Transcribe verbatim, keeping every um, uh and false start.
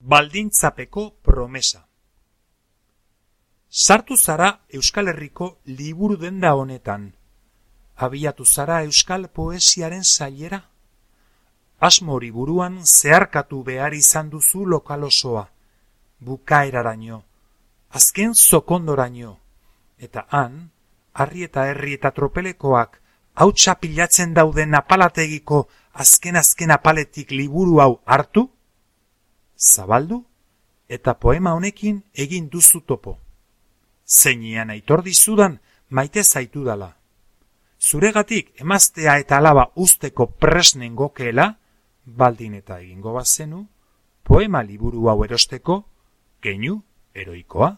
Baldintzapeko promesa. Sartu zara Euskal Herriko liburu denda honetan. Abiatu zara euskal poesiaren sailera. Asmo hori buruan zeharkatu behar izan duzu lokal osoa. Bukaeraraino, azken zokondoraino. Eta han, harri eta herri eta tropelekoak hautsa pilatzen dauden apalategiko azken-azken apaletik liburu hau hartu, zabaldu eta poema honekin egin duzu topo. Zeinean aitor dizudan maite zaitu dala. Zuregatik emaztea eta alaba usteko presnen gokeela, baldin eta egingo bazenu, poema liburu hau erosteko keinu heroikoa.